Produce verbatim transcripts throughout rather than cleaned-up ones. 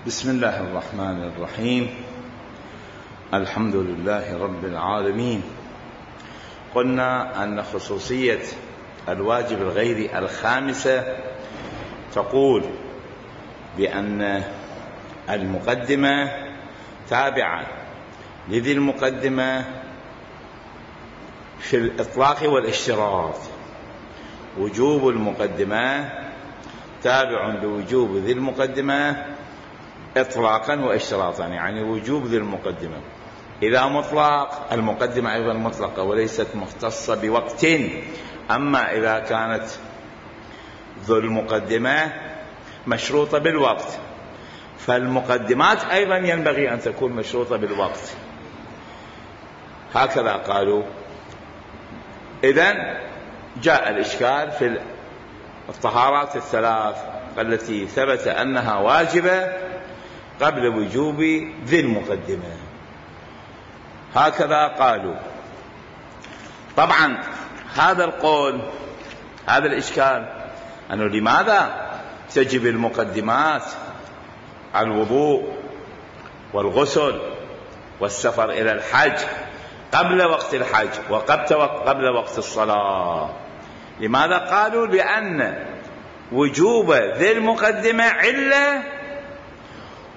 بسم الله الرحمن الرحيم. الحمد لله رب العالمين. قلنا أن خصوصية الواجب الغيري الخامسة تقول بأن المقدمة تابعة لذي المقدمة في الإطلاق والاشتراط. وجوب المقدمة تابع لوجوب ذي المقدمة إطلاقا واشتراطا، يعني وجوب ذي المقدمة إذا مطلق المقدمة أيضا مطلقة وليست مختصة بوقت. أما إذا كانت ذو المقدمة مشروطة بالوقت فالمقدمات أيضا ينبغي أن تكون مشروطة بالوقت. هكذا قالوا. إذن جاء الإشكال في الطهارات الثلاث التي ثبت أنها واجبة قبل وجوب ذي المقدمة. هكذا قالوا. طبعا هذا القول، هذا الإشكال أنه لماذا تجب المقدمات الوضوء والغسل والسفر إلى الحج قبل وقت الحج وقبل وقت الصلاة؟ لماذا قالوا؟ لأن وجوب ذي المقدمة علة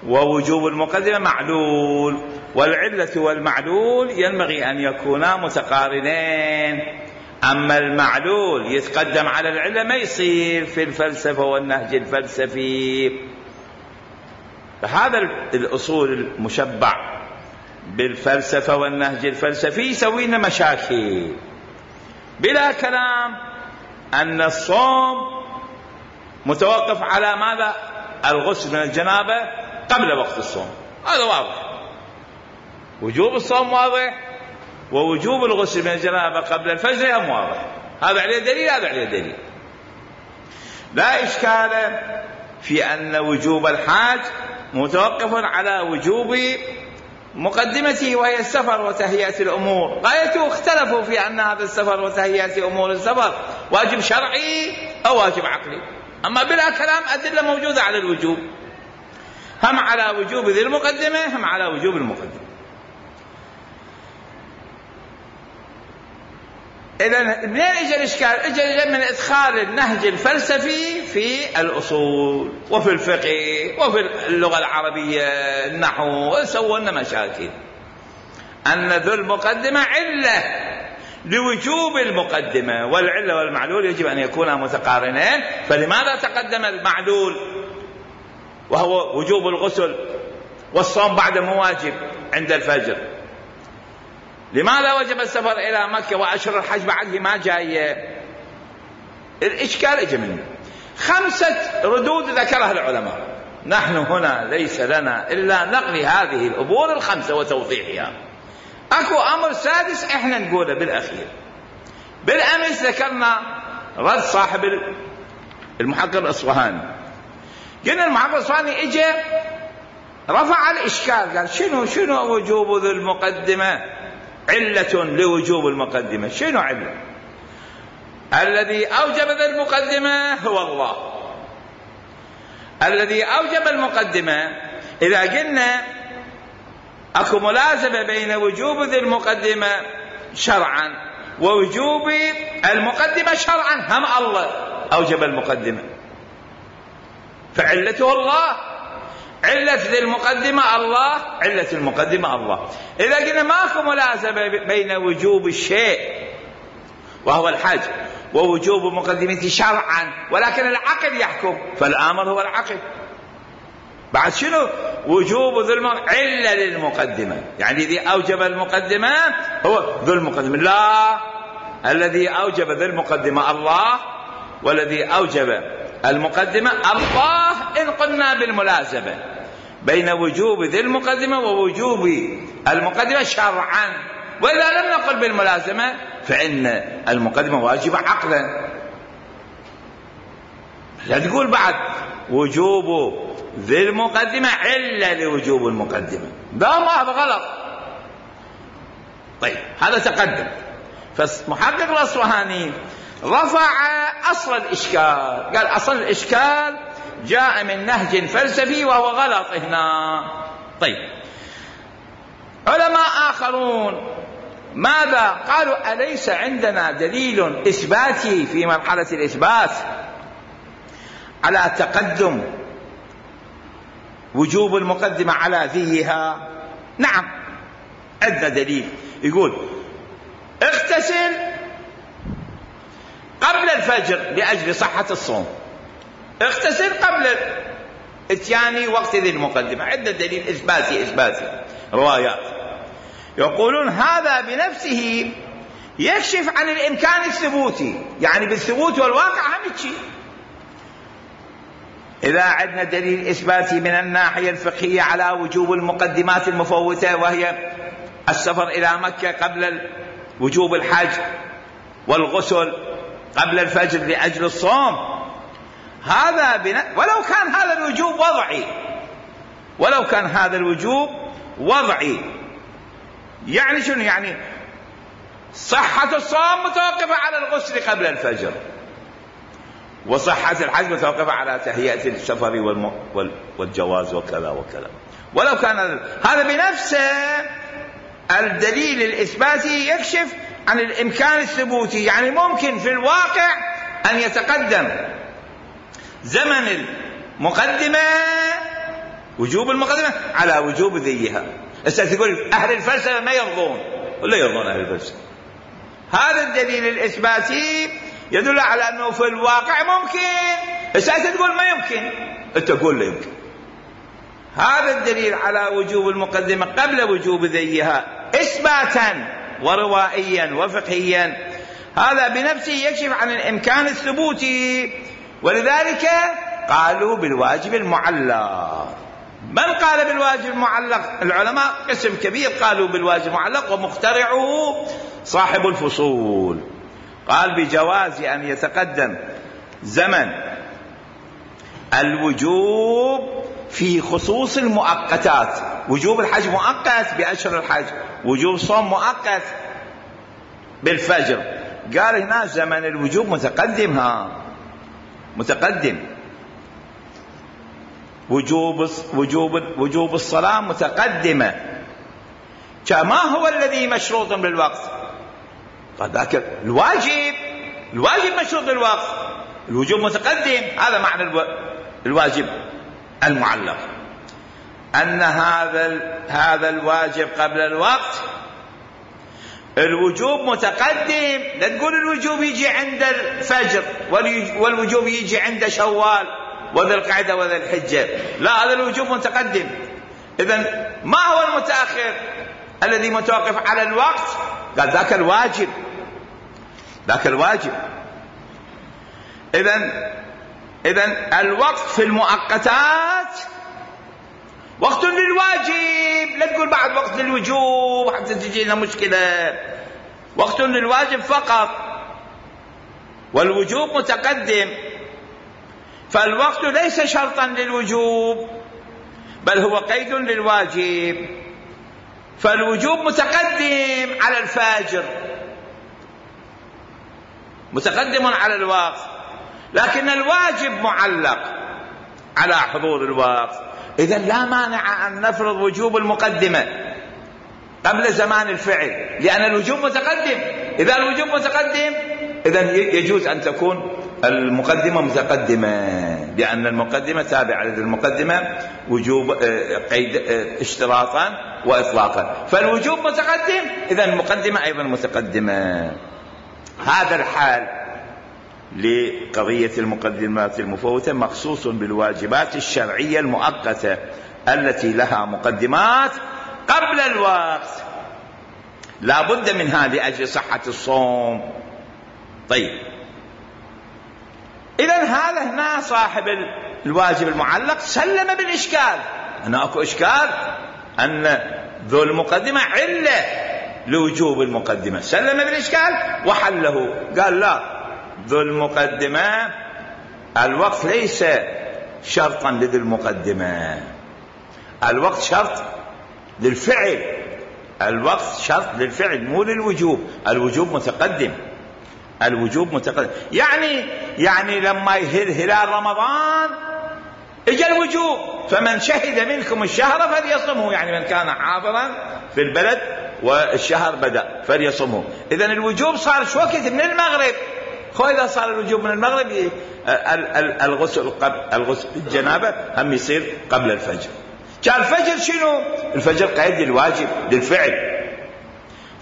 ووجوب المقدمة معلول، والعلة والمعلول ينبغي أن يكونا متقارنين. أما المعلول يتقدم على العلة ما يصير في الفلسفة والنهج الفلسفي. فهذا الأصول المشبع بالفلسفة والنهج الفلسفي يسوي لنا مشاكل. بلا كلام أن الصوم متوقف على ماذا؟ الغسل من الجنابة قبل وقت الصوم، هذا واضح. وجوب الصوم واضح، ووجوب الغسل من الجنابة قبل الفجر هم واضح. هذا عليه دليل، هذا عليه دليل. لا إشكال في أن وجوب الحاج متوقف على وجوب مقدمته وهي السفر وتهيئة الأمور. غايته اختلفوا في أن هذا السفر وتهيئة أمور السفر واجب شرعي أو واجب عقلي. أما بلا كلام أدلة موجودة على الوجوب، هم على وجوب ذي المقدمة هم على وجوب المقدمة. إذن منين إجا الإشكال؟ إجا من إدخال النهج الفلسفي في الأصول وفي الفقه وفي اللغة العربية النحو، سووا لنا مشاكل. أن ذو المقدمة علة لوجوب المقدمة، والعلة والمعلول يجب أن يكونا متقارنين. فلماذا تقدم المعلول وهو وجوب الغسل والصوم بعد مواجب عند الفجر؟ لماذا وجب السفر إلى مكة وأشهر الحج بعده ما جاية؟ الإشكال اجى منه خمسة ردود ذكرها العلماء. نحن هنا ليس لنا إلا نقل هذه الأمور الخمسة وتوضيحها. أكو أمر سادس إحنا نقوله بالأخير. بالأمس ذكرنا رد صاحب المحقق الأصفهاني. قلنا المحقق الأصفهاني إجى رفع الإشكال، قال شنو شنو وجوب ذي المقدمة علة لوجوب المقدمة؟ شنو علة؟ الذي أوجب ذي المقدمة هو الله. الذي أوجب المقدمة، إذا قلنا أكو ملازمة بين وجوب ذي المقدمة شرعا ووجوب المقدمة شرعا، هم الله أوجب المقدمة فعلته الله. علة ذي المقدمة الله، علة المقدمة الله. إذا قلنا ماكو ملازمة بين وجوب الشيء وهو الحج ووجوب مقدمته شرعا، ولكن العقل يحكم، فالآمر هو العقل. بعد شنو؟ وجوب ذو المقدمة علة للمقدمة، يعني الذي أوجب المقدمة هو ذو المقدمة. لا، الذي أوجب ذو المقدمة الله، والذي أوجب المقدمة الله. إن قلنا بالملازمة بين وجوب ذي المقدمة ووجوب المقدمة شرعا، وإذا لم نقل بالملازمة فإن المقدمة واجبة عقلا. لا تقول بعد وجوب ذي المقدمة علة لوجوب المقدمة، لا، ما هذا غلط. طيب هذا تقدم. فمحقق الأصفهاني رفع أصل الإشكال، قال أصل الإشكال جاء من نهج فلسفي وهو غلط هنا. طيب علماء آخرون ماذا قالوا؟ أليس عندنا دليل إثباتي في مرحلة الإثبات على تقدم وجوب المقدمة على ذيها؟ نعم عندنا دليل يقول اغتسل قبل الفجر لأجل صحة الصوم، اغتسل قبل اتيان وقت ذي المقدمة. عندنا دليل إثباتي إثباتي روايات يقولون هذا بنفسه يكشف عن الإمكان الثبوتي، يعني بالثبوت والواقع هم شيء. إذا عندنا دليل إثباتي من الناحية الفقهية على وجوب المقدمات المفوتة وهي السفر إلى مكة قبل وجوب الحج والغسل قبل الفجر لأجل الصوم، هذا بنا... ولو كان هذا الوجوب وضعي، ولو كان هذا الوجوب وضعي يعني شنو؟ يعني صحة الصوم متوقفة على الغسل قبل الفجر، وصحة الحج متوقفة على تهيئة السفر والم... وال... والجواز وكذا وكذا. ولو كان هذا بنفسه الدليل الإثباتي يكشف عن الإمكان الثبوتي، يعني ممكن في الواقع أن يتقدم زمن المقدمة وجوب المقدمة على وجوب ذيها. تقول أهل الفلسفة ما يرضون، ولا يرضون أهل الفلسفة. هذا الدليل الإثباتي يدل على أنه في الواقع ممكن. الساعة تقول ما يمكن، أنت تقول لا يمكن. هذا الدليل على وجوب المقدمة قبل وجوب ذيها إثباتا وروائيا وفقهيا، هذا بنفسه يكشف عن الإمكان الثبوتي، ولذلك قالوا بالواجب المعلق. من قال بالواجب المعلق؟ العلماء قسم كبير قالوا بالواجب المعلق، ومخترعه صاحب الفصول قال بجواز أن يتقدم زمن الوجوب في خصوص المؤقتات. وجوب الحج مؤقت بأشهر الحج، وجوب صوم مؤقت بالفجر. قال هنا زمن الوجوب متقدم، ها متقدم. وجوب وجوب وجوب الصلاة متقدمة، كما هو الذي مشروط بالوقت. قال ذاك الواجب، الواجب مشروط بالوقت، الوجوب متقدم. هذا معنى الو... الواجب المعلق، أن هذا هذا الواجب قبل الوقت الوجوب متقدم. لا تقول الوجوب يجي عند الفجر والوجوب يجي عند شوال وذي القعدة وذي الحجة، لا، هذا الوجوب متقدم. إذن ما هو المتأخر الذي متوقف على الوقت؟ قال ذاك الواجب، ذاك الواجب. إذن إذن الوقت في المؤقتات وقت للواجب، لا تقول بعد وقت للوجوب حتى تجي لنا مشكلة. وقت للواجب فقط، والوجوب متقدم. فالوقت ليس شرطا للوجوب، بل هو قيد للواجب. فالوجوب متقدم على الفاجر، متقدم على الوقت، لكن الواجب معلق على حضور الوقت. إذن لا مانع أن نفرض وجوب المقدمة قبل زمان الفعل، لأن الوجوب متقدم. إذا الوجوب متقدم إذن يجوز أن تكون المقدمة متقدمة، لأن المقدمة تابعة للمقدمة وجوب قيد اشتراطا وإطلاقا. فالوجوب متقدم، إذن المقدمة أيضا متقدمة. هذا الحال لقضية المقدمات المفوتة مخصوص بالواجبات الشرعية المؤقتة التي لها مقدمات قبل الوقت، لا بد منها لأجل صحة الصوم. طيب، إذن هذا هنا صاحب الواجب المعلق سلم بالإشكال. هنا أكو إشكال أن ذو المقدمة علة لوجوب المقدمة، سلم بالإشكال وحله. قال لا، ذو المقدمة الوقت ليس شرطا لذو المقدمة، الوقت شرط للفعل، الوقت شرط للفعل مو للوجوب. الوجوب متقدم، الوجوب متقدم. يعني يعني لما يهل هلال رمضان اجا الوجوب فمن شهد منكم الشهر فليصمه، يعني من كان حاضرا في البلد والشهر بدأ فليصمه. اذا الوجوب صار شو وقت؟ من المغرب. خو اذا صار الوجوب من المغرب الغسل قبل الغسل الجنابه هم يصير قبل الفجر. كان الفجر شنو؟ الفجر قيد للواجب للفعل.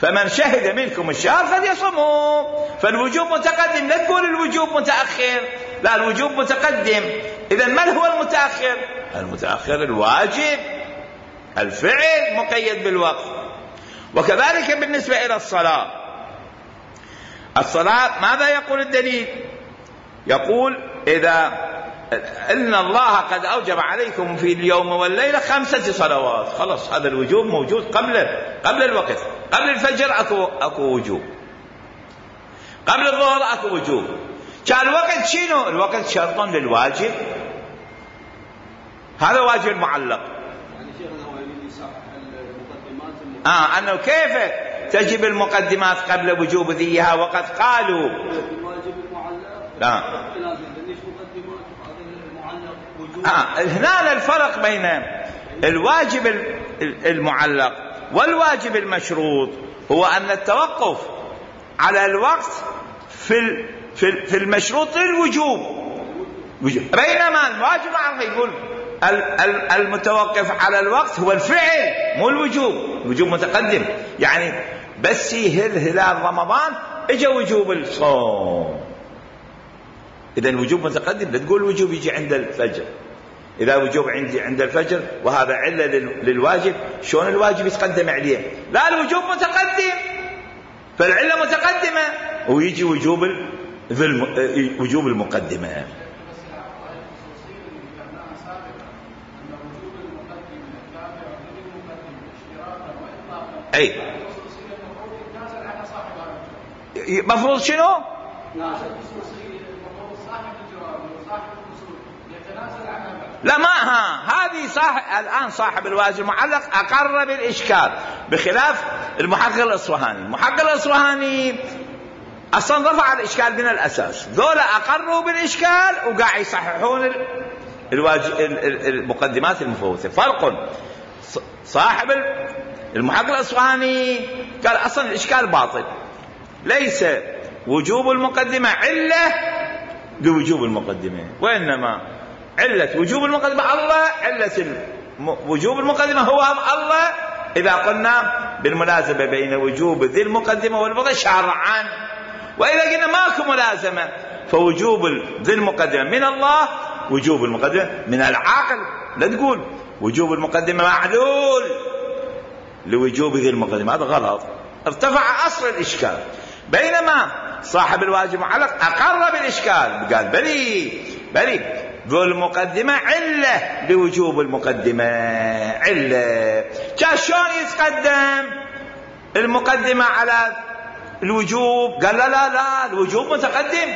فمن شهد منكم الشهر فليصمه، فالوجوب متقدم، لا تقول الوجوب متأخر، لا الوجوب متقدم. إذا من هو المتأخر؟ المتأخر الواجب، الفعل مقيد بالوقت. وكذلك بالنسبة إلى الصلاة، الصلاة ماذا يقول الدليل؟ يقول إذا إن الله قد أوجب عليكم في اليوم والليلة خمسة صلوات، خلاص هذا الوجوب موجود قبل قبل الوقت. قبل الفجر أكو أكو وجوب، قبل الظهر أكو وجوب. كان الوقت شنو؟ الوقت شرط للواجب، هذا واجب معلق. يعني شيخنا هو يريد يصحح المقدمات اه انه كيف تجب المقدمات قبل وجوب ذيها، وقد قالوا الواجب المعلق لا آه. هنا الفرق بين الواجب المعلق والواجب المشروط هو أن التوقف على الوقت في في المشروط للوجوب، بينما الواجب المعلق يقول المتوقف على الوقت هو الفعل مو الوجوب، الوجوب متقدم. يعني بس يهل هلال رمضان اجا وجوب الصوم، إذا الوجوب متقدم، لا تقول الوجوب يجي عند الفجر. إذا وجوب عندي عند الفجر وهذا علة للواجب، شلون الواجب يتقدم عليه؟ لا الوجوب متقدم، فالعلة متقدمة ويجي وجوب وجوب المقدمة. أي مفروض شنو؟ لا ما ها هذه صاحب الآن صاحب الواجب المعلق أقر بالإشكال، بخلاف المحقق الأصفهاني. المحقق الأصفهاني أصلا رفع الإشكال من الأساس، ذولا أقروا بالإشكال وقاعد يصححون الواجب المقدمات المفوتة. فرق، صاحب المحقق الأصفهاني قال أصلا الإشكال باطل، ليس وجوب المقدمة علة لوجوب المقدمة، وإنما علة وجوب المقدمة الله، علة وجوب المقدمة هو الله. إذا قلنا بالملازمة بين وجوب ذي المقدمة والفضل شرعا، وإذا قلنا ماكو ملازمة فوجوب ذي المقدمة من الله، وجوب المقدمة من العقل. لا تقول وجوب المقدمة معلول لوجوب ذي المقدمة، هذا غلط، ارتفع أصل الإشكال. بينما صاحب الواجب المعلق أقر بالإشكال، قال بلي بلي ذو المقدمة علة لوجوب المقدمة، علة. كان شلون يتقدم المقدمة على الوجوب؟ قال لا لا لا الوجوب متقدم،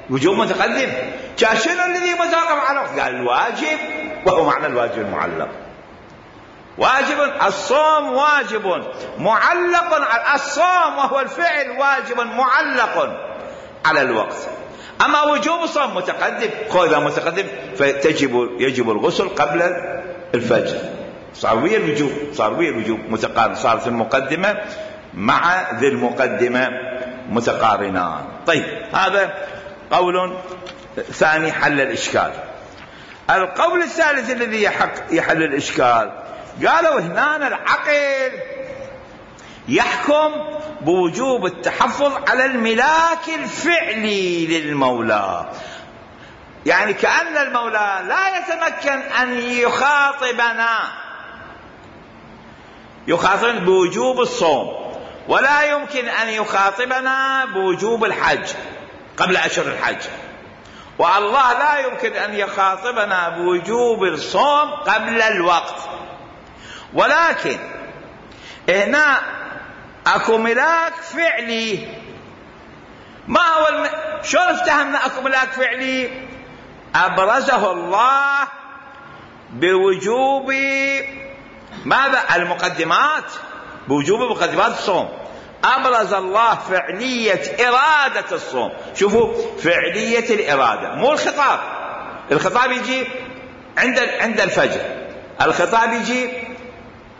الوجوب متقدم. كان شنو الذي متوقف على الوقت؟ قال الواجب، وهو معنى الواجب المعلق. واجب الصوم واجب معلق على الصوم، وهو الفعل واجب معلق على الوقت. أما وجوب الصوم متقدم، إذا متقدم فتجب يجب الغسل قبل الفجر، صار ويا الوجوب، صار ويا الوجوب متقارن، صارت المقدمة مع ذي المقدمة متقارنان. طيب هذا قول ثاني حل الإشكال. القول الثالث الذي يحل الإشكال، قالوا هنا العقل يحكم بوجوب التحفظ على الملاك الفعلي للمولى، يعني كأن المولى لا يتمكن أن يخاطبنا يخاطبنا بوجوب الصوم، ولا يمكن أن يخاطبنا بوجوب الحج قبل أشهر الحج، والله لا يمكن أن يخاطبنا بوجوب الصوم قبل الوقت. ولكن هنا اكو ملاك فعلي. ما هو الم... شلون افتهمنا اكو ملاك فعلي؟ ابرزه الله بوجوب ماذا؟ المقدمات، بوجوب مقدمات الصوم. ابرز الله فعلية ارادة الصوم. شوفوا فعلية الارادة، مو الخطاب. الخطاب يجي عند عند الفجر. الخطاب يجي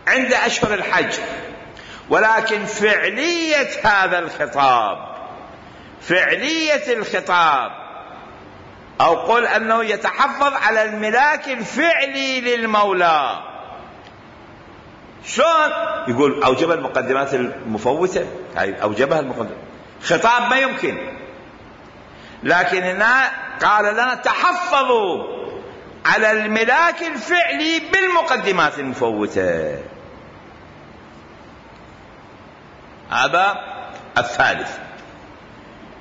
عند أشهر الحج، ولكن فعلية هذا الخطاب، فعلية الخطاب، أو قل أنه يتحفظ على الملاك الفعلي للمولى. شلون؟ يقول أوجب المقدمات المفوتة، هاي أوجبها المقدمات، خطاب ما يمكن. لكن هنا قال لنا تحفظوا على الملاك الفعلي بالمقدمات المفوتة. هذا الثالث.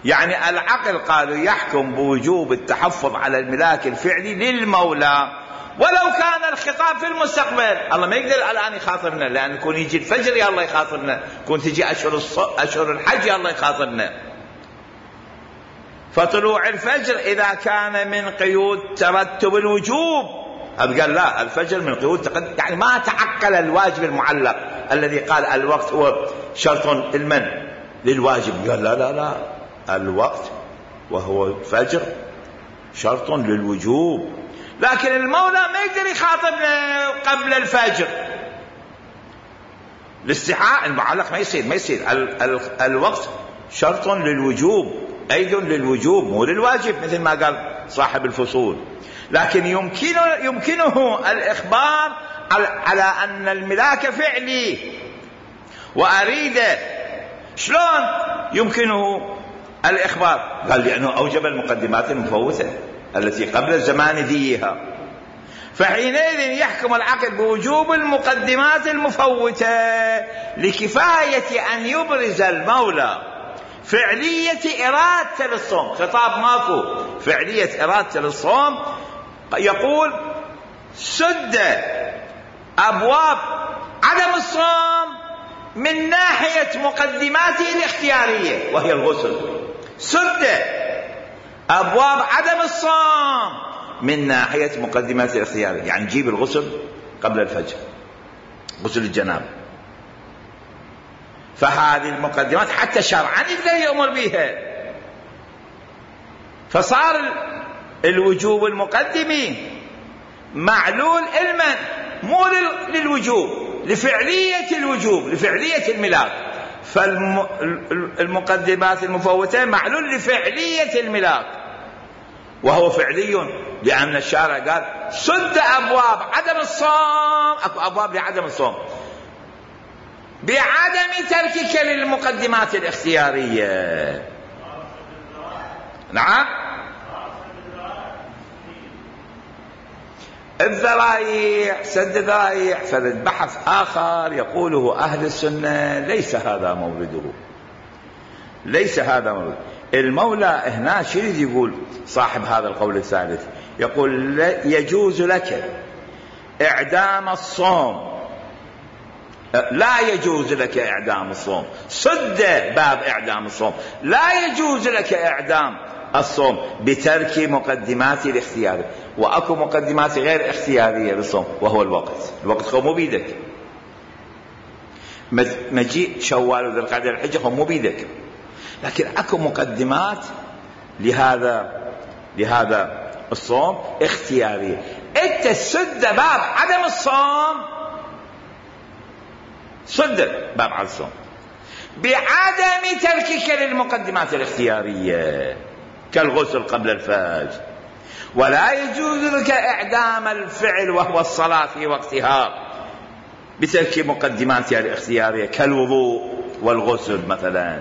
يعني العقل قالوا يحكم بوجوب التحفظ على الملاك الفعلي للمولى ولو كان الخطاب في المستقبل. الله ما يقدر الآن يخاطرنا، لأن يكون يجي الفجر يا الله يخاطرنا، يكون تجي أشهر, أشهر الحج يا الله يخاطرنا. فطلوع الفجر إذا كان من قيود ترتب الوجوب، قال لا الفجر من قيود تقدم، يعني ما تعقل الواجب المعلق الذي قال الوقت هو شرط المن للواجب. قال لا لا لا، الوقت وهو الفجر شرط للوجوب. لكن المولى ما يقدر يخاطبنا قبل الفجر، الاستحاء المعلق ما يصير ما يصير ال ال الوقت شرط للوجوب، أيضا للوجوب مو للواجب مثل ما قال صاحب الفصول. لكن يمكنه, يمكنه الإخبار على أن الملاك فعلي وأريده. شلون يمكنه الإخبار؟ قال لأنه أوجب المقدمات المفوتة التي قبل الزمان ذيها، فحينئذ يحكم العقل بوجوب المقدمات المفوتة لكفاية أن يبرز المولى فعلية إرادة للصوم. خطاب ماكو، فعلية إرادة للصوم. يقول سد أبواب عدم الصوم من ناحية مقدماته الاختيارية وهي الغسل. سد أبواب عدم الصوم من ناحية مقدماته الاختيارية، يعني جيب الغسل قبل الفجر، غسل الجنابة. فهذه المقدمات حتى شرعا يقدر يأمر بها. فصار الوجوب المقدمي معلول علما مو للوجوب، لفعلية الوجوب، لفعلية الملاك. فالمقدمات المفوتة معلول لفعلية الملاك، وهو فعلي لأن الشارع قال سد أبواب عدم الصوم. أكو أبواب لعدم الصوم بعدم تركك للمقدمات الاختيارية. نعم، الذرائع، سد الذرائع. فالبحث آخر يقوله أهل السنة ليس هذا مورده، ليس هذا مورده. المولى هنا شو يقول صاحب هذا القول الثالث؟ يقول يجوز لك إعدام الصوم، لا يجوز لك إعدام الصوم، صد باب إعدام الصوم، لا يجوز لك إعدام الصوم بترك مقدمات الاختيار. وأكو مقدمات غير اختيارية للصوم وهو الوقت. الوقت هو مو بيدك، مجيء شوال وذي القعدة الحجة هو مو بيدك، لكن أكو مقدمات لهذا لهذا الصوم اختيارية. أنت سد باب عدم الصوم، سد باب عدم الصوم بعدم تركك للمقدمات الاختيارية كالغسل قبل الفجر. ولا يجوز لك إعدام الفعل وهو الصلاة في وقتها بترك مقدماتها الاختيارية كالوضوء والغسل مثلا.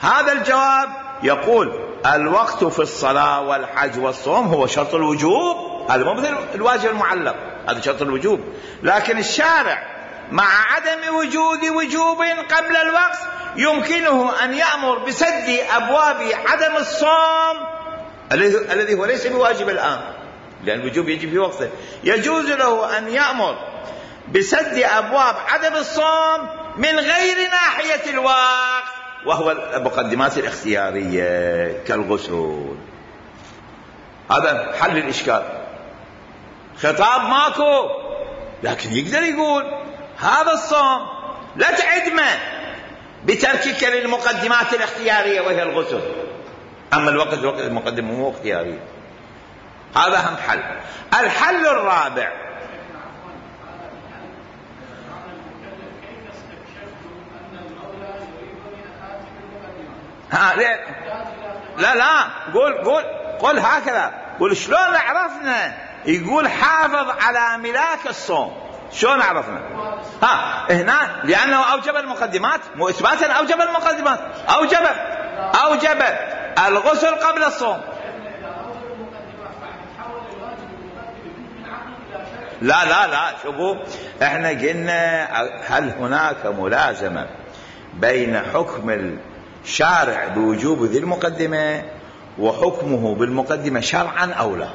هذا الجواب يقول الوقت في الصلاة والحج والصوم هو شرط الوجوب، هذا مو مثل الواجب المعلق، هذا شرط الوجوب. لكن الشارع مع عدم وجود وجوب قبل الوقت يمكنه أن يأمر بسد أبواب عدم الصوم الذي هو ليس بواجب الآن، لأن الوجوب يجب في وقته. يجوز له أن يأمر بسد أبواب عدم الصوم من غير ناحية الوقت وهو المقدمات الاختيارية كالغسل. هذا حل الإشكال. خطاب ماكو، لكن يقدر يقول هذا الصوم لا تعدمه بتركك للمقدمات الاختيارية وهي الغسل، أما الوقت الوقت المقدم مو اختياري. هذا هم حل. الحل الرابع، ها لا لا قول قول قول هكذا، قول شلون عرفنا يقول حافظ على ملاك الصوم؟ شلون عرفنا؟ ها هنا لأنه أوجب المقدمات، مو إثباتا أوجب المقدمات، أوجب أوجب الغسل قبل الصوم. لا لا لا شوفوا، احنا قلنا هل هناك ملازمة بين حكم الشارع بوجوب ذي المقدمة وحكمه بالمقدمة شرعا أو لا؟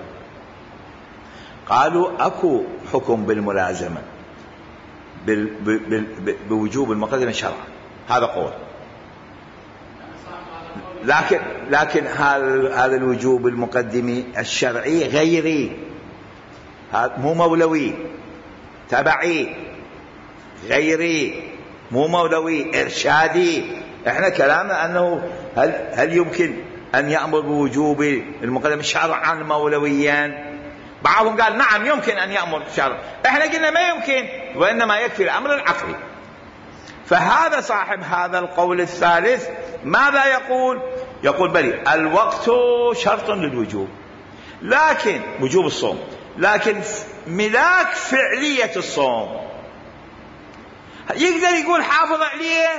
قالوا أكو حكم بالملازمة بوجوب المقدمة شرعا، هذا قول. لكن لكن هذا الوجوب المقدمي الشرعي غيري، مو مولوي، تبعي، غيري، مو مولوي، إرشادي. احنا كلامنا أنه هل هل يمكن أن يأمر بوجوب المقدمة شرعا مولويا؟ بعضهم قال نعم يمكن أن يأمر شرعا، احنا قلنا ما يمكن، وإنما يكفي الأمر العقلي. فهذا صاحب هذا القول الثالث ماذا يقول؟ يقول بلي الوقت شرط للوجوب، لكن وجوب الصوم، لكن ملاك فعلية الصوم يقدر يقول حافظ عليه؟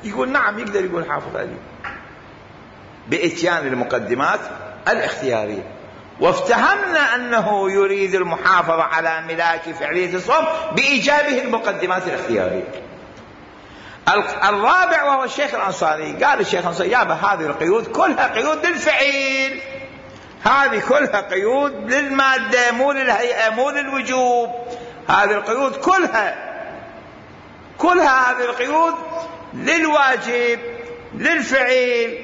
يقول نعم يقدر يقول حافظ عليه بإتيان المقدمات الاختيارية. وافتهمنا أنه يريد المحافظة على ملاك فعلية الصوم بإيجابه المقدمات الاختيارية. الرابع وهو الشيخ الأنصاري، قال الشيخ الأنصاري يابا هذه القيود كلها قيود للفعل، هذه كلها قيود للمادة مو للهيئة مو للوجوب، هذه القيود كلها كلها هذه القيود للواجب للفعل.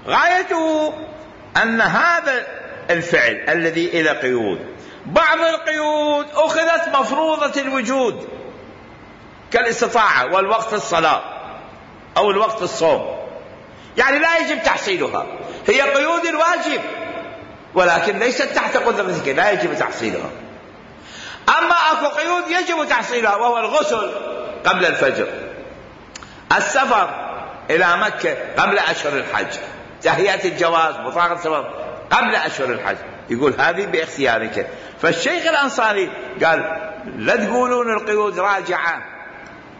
غايته أن هذا الفعل الذي إلى قيود، بعض القيود أخذت مفروضة الوجود كالاستطاعة والوقت الصلاة أو الوقت الصوم، يعني لا يجب تحصيلها، هي قيود الواجب ولكن ليست تحت قدرتك، لا يجب تحصيلها. أما أكو قيود يجب تحصيلها وهو الغسل قبل الفجر، السفر إلى مكة قبل أشهر الحج، تهيئة الجواز بطاقة السفر قبل أشهر الحج، يقول هذه باختيارك. فالشيخ الأنصاري قال لا تقولون القيود راجعة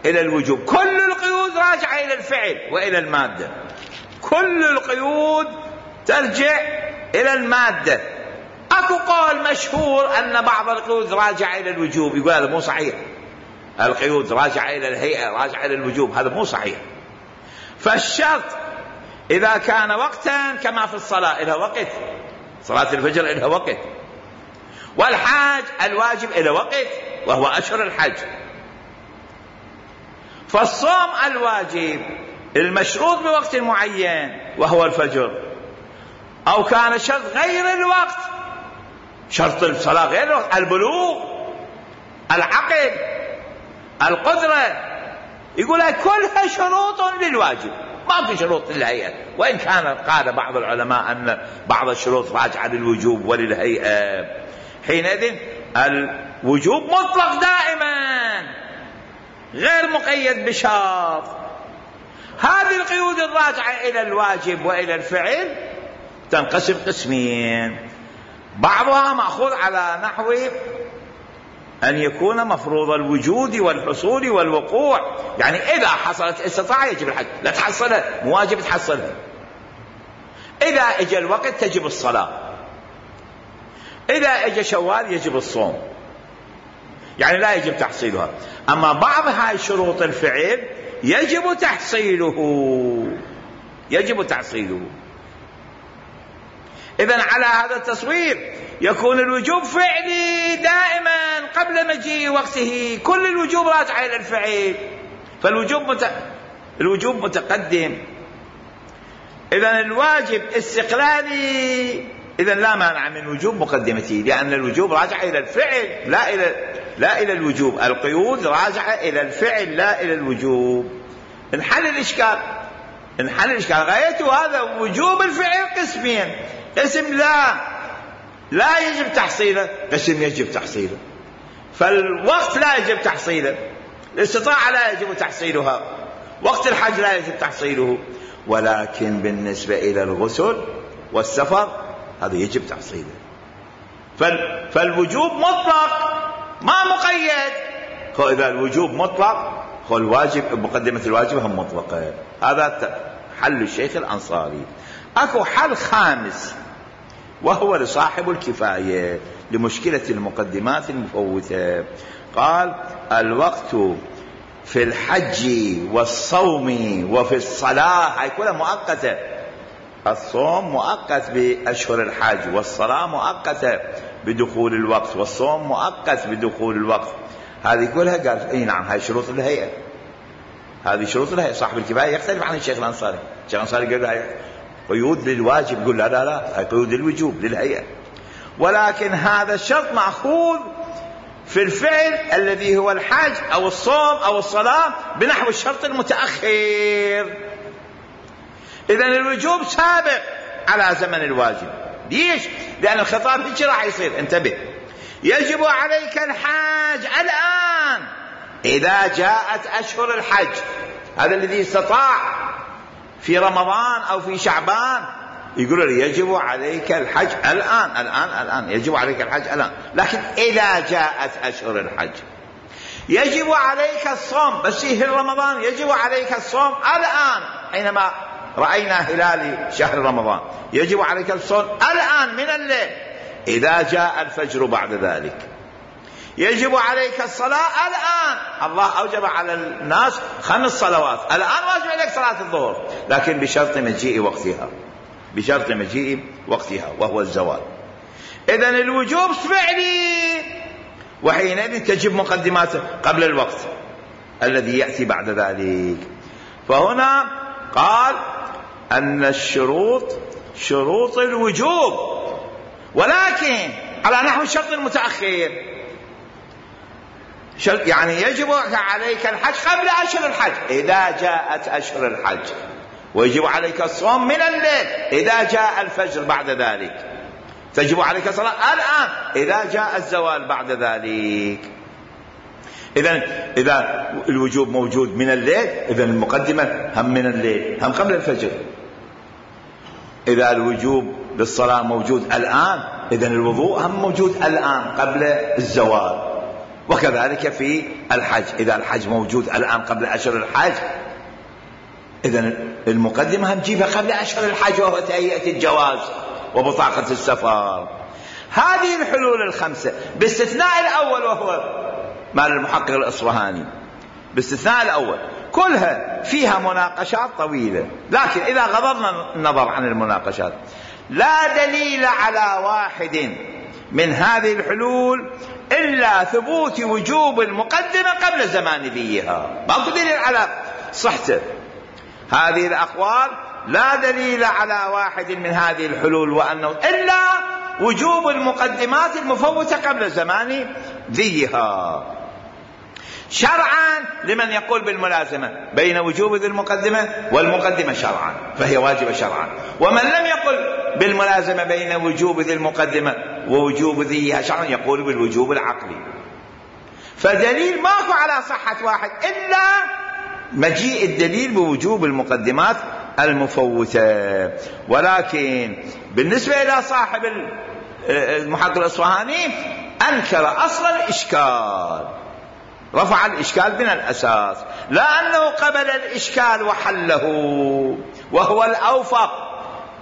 إلى الوجوب، كل القيود راجعة إلى الفعل وإلى المادة، كل القيود ترجع إلى المادة. أكو قول مشهور أن بعض القيود راجعة إلى الوجوب، يقول هذا مو صحيح، القيود راجعة إلى الهيئة راجعة إلى الوجوب، هذا مو صحيح. فالشرط إذا كان وقتا كما في الصلاة إلى وقت، صلاة الفجر إلى وقت، والحاج الواجب إلى وقت وهو أشهر الحج. فالصوم الواجب المشروط بوقت معين وهو الفجر، أو كان شرط غير الوقت، شرط الصلاة غير الوقت، البلوغ، العقل، القدرة، يقول كلها شروط للواجب، ما في شروط للهيئة. وإن كان قال بعض العلماء أن بعض الشروط راجعة للوجوب وللهيئة، حينئذ الوجوب مطلق دائما غير مقيد بشرط. هذه القيود الراجعة إلى الواجب وإلى الفعل تنقسم قسمين، بعضها مأخوذ على نحو أن يكون مفروض الوجود والحصول والوقوع، يعني إذا حصلت استطاعة يجب الحج، لا تحصلها مو واجب تحصلها، إذا اجى الوقت تجب الصلاة، إذا اجى شوال يجب الصوم، يعني لا يجب تحصيلها. أما بعض هاي شروط الفعل يجب تحصيله، يجب تحصيله. إذن على هذا التصوير يكون الوجوب فعلي دائما قبل مجيء وقته، كل الوجوب راجع إلى الفعل، فالوجوب مت... الوجوب متقدم. إذن الواجب استقلالي، إذن لا مانع من وجوب مقدمته، لأن الوجوب راجع إلى الفعل لا إلى لا إلى الوجوب، القيود راجعة إلى الفعل لا إلى الوجوب. انحل الإشكال، انحل الإشكال. غايته هذا وجوب الفعل قسمين، قسم لا لا يجب تحصيله، قسم يجب تحصيله. فالوقت لا يجب تحصيله، الاستطاعة لا يجب تحصيلها، وقت الحج لا يجب تحصيله، ولكن بالنسبة إلى الغسل والسفر هذا يجب تحصيله. فالوجوب مطلق ما مقيد. فإذا الوجوب مطلق فالواجب مقدمة الواجب هم مطلقة. هذا حل الشيخ الأنصاري. أكو حل خامس وهو لصاحب الكفاية لمشكلة المقدمات المفوتة. قال الوقت في الحج والصوم وفي الصلاة هاي كلها مؤقتة. الصوم مؤقت بأشهر الحج، والصلاة مؤقتة بدخول الوقت، والصوم مؤقت بدخول الوقت. هذه كلها قال اي نعم هاي شروط الهيئة، هذه شروط الهيئة. صاحب الكفاية يختلف عن الشيخ الأنصاري. الشيخ الأنصاري قال هاي قيود للواجب، يقول لا لا لا هاي قيود للوجوب للهيئة. ولكن هذا الشرط مأخوذ في الفعل الذي هو الحج أو الصوم أو الصلاة بنحو الشرط المتأخر. إذن الوجوب سابق على زمن الواجب. ليش؟ لأن الخطاب هيك راح يصير. انتبه، يجب عليك الحج الآن إذا جاءت أشهر الحج. هذا الذي استطاع في رمضان أو في شعبان يقول لي يجب عليك الحج الآن الآن الآن يجب عليك الحج الآن. لكن إذا جاءت أشهر الحج يجب عليك الصوم، بس في رمضان يجب عليك الصوم الآن. حينما رأينا هلال شهر رمضان يجب عليك الصوم الآن من الليل إذا جاء الفجر بعد ذلك. يجب عليك الصلاة الآن. الله أوجب على الناس خمس صلوات الآن، واجب عليك صلاة الظهر، لكن بشرط مجيء وقتها، بشرط مجيء وقتها وهو الزوال. إذن الوجوب فعلي، وحينئذ تجب مقدماته قبل الوقت الذي يأتي بعد ذلك. فهنا قال أن الشروط شروط الوجوب، ولكن على نحو الشرط المتأخر. يعني يجب عليك الحج قبل أشهر الحج إذا جاءت أشهر الحج، ويجب عليك الصوم من الليل إذا جاء الفجر بعد ذلك، تجب عليك الصلاة الآن إذا جاء الزوال بعد ذلك. إذن إذا الوجوب موجود من الليل إذن المقدمة هم من الليل هم قبل الفجر. إذا الوجوب للصلاة موجود الآن إذن الوضوء هم موجود الآن قبل الزوال. وكذلك في الحج، إذا الحج موجود الآن قبل أشهر الحج إذن المقدمة هم جيبها قبل أشهر الحج، وهو تهيئة الجواز وبطاقة السفر. هذه الحلول الخمسة باستثناء الأول وهو مال المحقق الأصفهاني، باستثناء الأول كلها فيها مناقشات طويلة. لكن إذا غضرنا النظر عن المناقشات لا دليل على واحد من هذه الحلول إلا ثبوت وجوب المقدمة قبل زمان ذيها. ما دليل على صحته هذه الأقوال، لا دليل على واحد من هذه الحلول وأنه إلا وجوب المقدمات المفوتة قبل زمان ذيها. شرعا لمن يقول بالملازمة بين وجوب ذي المقدمة والمقدمة شرعا فهي واجبة شرعا، ومن لم يقل بالملازمة بين وجوب ذي المقدمة ووجوب ذيها شرعا يقول بالوجوب العقلي. فدليل ماكو على صحة واحد إلا مجيء الدليل بوجوب المقدمات المفوتة. ولكن بالنسبة إلى صاحب المحقق الأصفهاني أنكر أصل الإشكال، رفع الإشكال من الأساس، لأنه قبل الإشكال وحله وهو الأوفق،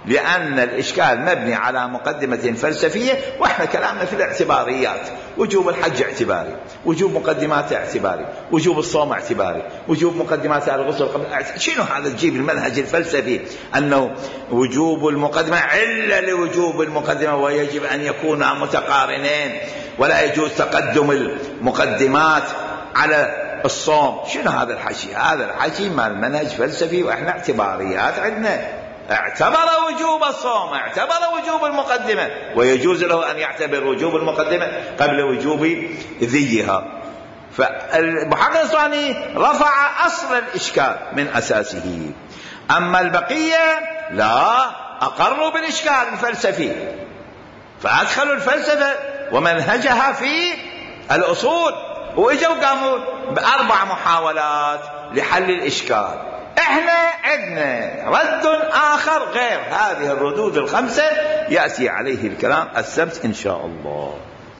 لأن الإشكال مبني على مقدمة فلسفية، وإحنا كلامنا في الاعتباريات. وجوب الحج اعتباري، وجوب مقدمات اعتباري، وجوب الصوم اعتباري، وجوب مقدمات الغسل قبل اعتباري. شنو هذا تجيب المنهج الفلسفي أنه وجوب المقدمة علة لوجوب المقدمة ويجب أن يكونا متقارنين ولا يجوز تقدم المقدمات على الصوم؟ شنو هذا الحكي؟ هذا الحكي مال منهج فلسفي، وإحنا اعتباريات عندنا. اعتبر وجوب الصوم، اعتبر وجوب المقدمة، ويجوز له أن يعتبر وجوب المقدمة قبل وجوب ذيها. فالمحقق الأصفهاني رفع أصل الإشكال من أساسه. أما البقية لا، أقروا بالإشكال الفلسفي، فأدخلوا الفلسفة ومنهجها في الأصول، وإجوا قاموا بأربع محاولات لحل الإشكال. احنا عندنا رد آخر غير هذه الردود الخمسة يأتي عليه الكلام السبت إن شاء الله.